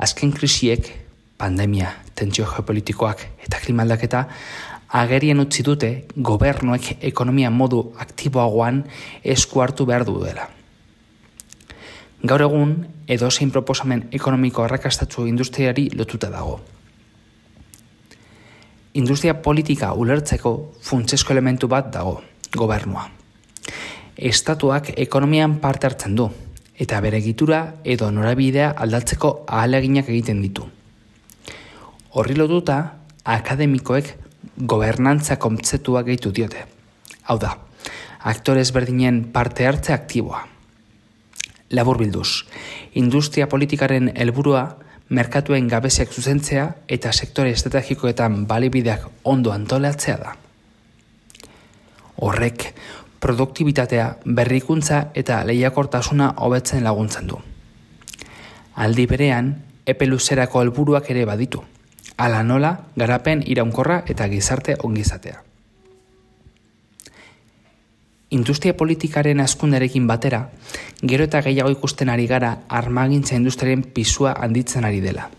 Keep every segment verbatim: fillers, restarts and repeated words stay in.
Azken krisiek, pandemia, tentsio geopolitikoak eta klimaldaketa agerien utzi dute gobernuek ekonomia modu aktiboagoan esku hartu behar duela. Gaur egun, edozein proposamen ekonomiko arrakastatsu industriari lotuta dago. Industria politika ulertzeko funtsezko elementu bat dago, gobernua. Estatuak ekonomian parte hartzen du, eta bere egitura edo norabidea aldatzeko ahaleginak egiten ditu. Horri lotuta, akademikoek gobernantza kontzeptua gehitu diote. Hau da, aktore ezberdinen parte hartze aktiboa. Laburbilduz, industria politikaren helburua merkatuen gabeziak zuzentzea eta sektore estrategikoetan balibideak ondo antolatzea da. Horrek, produktibitatea, berrikuntza eta lehiakortasuna hobetzen laguntzen du. Aldi berean, epe luzerako helburuak ere baditu. Hala nola, garapen iraunkorra eta gizarte ongizatea. Industria politikaren hazkundearekin batera, gero eta gehiago ikusten ari gara armagintza industriaren pisua handitzen ari dela.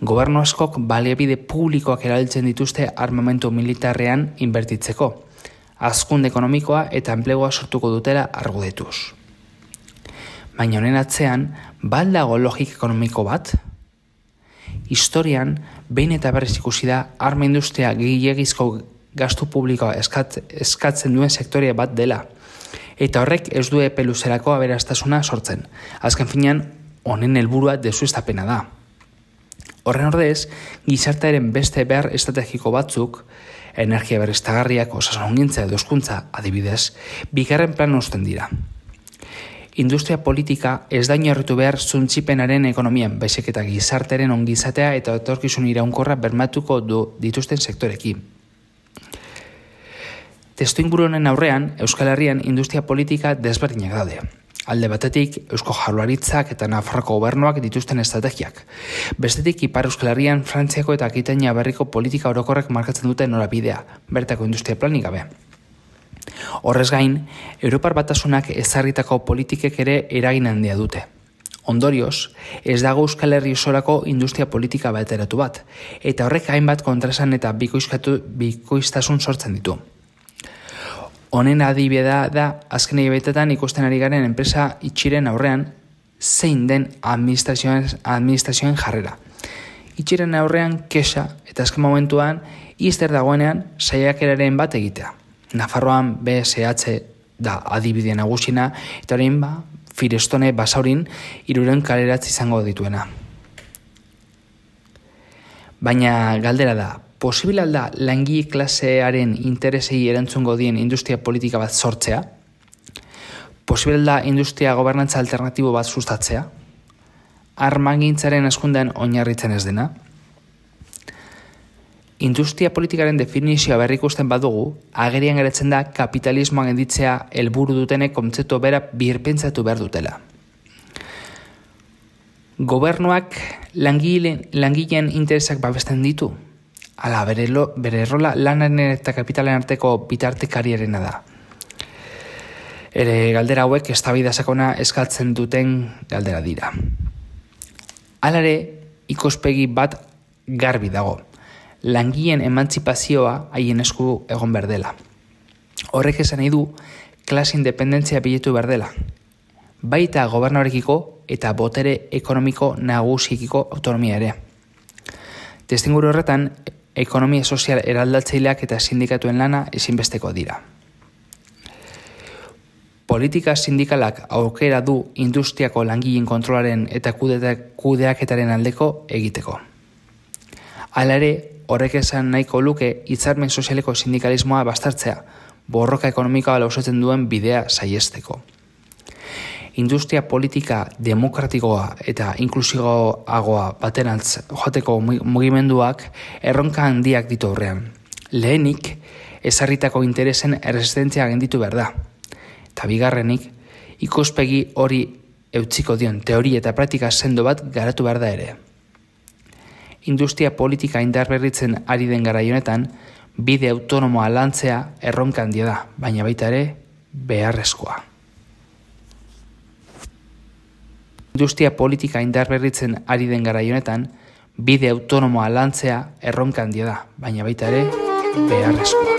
Gobernu askok baliabide publikoak erabiltzen dituzte armamentu militarrean inbertitzeko, hazkunde ekonomikoa eta enplegua sortuko dutela argudetuz. Baina honen atzean, ba al dago logika ekonomiko bat? Historian, behin eta berriz ikusi da arma industria gehiegizko gastu publikoa eskat, eskatzen duen sektorea bat dela. Eta horrek ez du epe luzerako aberastasuna sortzen. Azken finean, honen helburua deuseztapena da. Horren ordez, gizartearen beste behar estrategiko batzuk, energia berriztagarriak, osasunongintza edo hezkuntza adibidez, bigarren plan uzten dira. Industria politika ez da oinarritu behar zuntzipenaren ekonomian, baizik eta gizartearen ongizatea eta etorkizun iraunkorra bermatuko du dituzten sektorekin. Testuinguru honen aurrean, Euskal Herrian industria politika desberdinak daude. Alde batetik, Eusko Jaurlaritzak eta Nafarroko gobernuak dituzten estrategiak. Bestetik, Ipar Euskal Herrian, Frantziako eta Akitania berriko politika orokorrek markatzen duten norabidea, bertako industria planik gabe. Horrez gain, Europar Batasunak ezarritako politikek ere eragin handia dute. Ondorioz, ez dago Euskal Herri osorako industria politika bateratu bat, eta horrek hainbat kontraesan eta bikoiztasun sortzen ditu. Honen adibidea da, azken hilabetetan ikusten ari garen enpresa itxiren aurrean zein den administrazioen, administrazioen jarrera. Itxiren aurrean kexa eta azken momentuan izter dagoenean saiakeraren bat egitea. Nafarroan B S H da adibidea nagusina eta orain ba, Firestone Basaurin hiruren kaleratze izango dituena. Baina galdera da, posible alda langile klasearen interesei erantzungo dien industria politika bat sortzea? Posible da industria gobernantza alternatibo bat sustatzea? Armagintzaren hazkundean oinarritzen ez dena? Industria politikaren definizioa berrikusten badugu, agerian geratzen da kapitalismoan gelditzea helburu dutenek kontzeptu bera birpentsatu behar dutela. Gobernuak langileen, langileen interesak babesten ditu? Ala, bere, lo, bere rola lanaren eta kapitalen arteko bitartekariarena da. Ere galdera hauek eztabaida sakona eskatzen duten galdera dira. Halare, ikuspegi bat garbi dago. Langileen emantzipazioa haien esku egon behar dela. Horrek esan nahi du, klase independentzia biletu behar dela. Baita gobernuarekiko eta botere ekonomiko nagusiekiko autonomia ere. Testuinguru horretan, ekonomia sozial eraldatzaileak eta sindikatuen lana ezinbesteko dira. Politika sindikalak aukera du industriako langileen kontrolaren eta kudeaketaren aldeko egiteko. Hala ere, horrek esan nahiko luke hitzarmen sozialeko sindikalismoa bastartzea, borroka ekonomikoa lausotzen duen bidea saihesteko. Industria politika demokratikoa eta inklusiboagoa baterantz joateko mugimenduak erronka handiak ditu aurrean. Lehenik, ezarritako interesen erresistentzia genditu behar da. Eta bigarrenik, ikuspegi hori eutsiko dion teoria eta praktika sendo bat garatu behar da ere. Industria politika indarberritzen ari den garai honetan, bide autonomoa lantzea erronka handia da, baina baita ere beharrezkoa. Industria politika indarberritzen ari den garai honetan, bide autonomoa lantzea erronka handia da, baina baita ere beharrezkoa.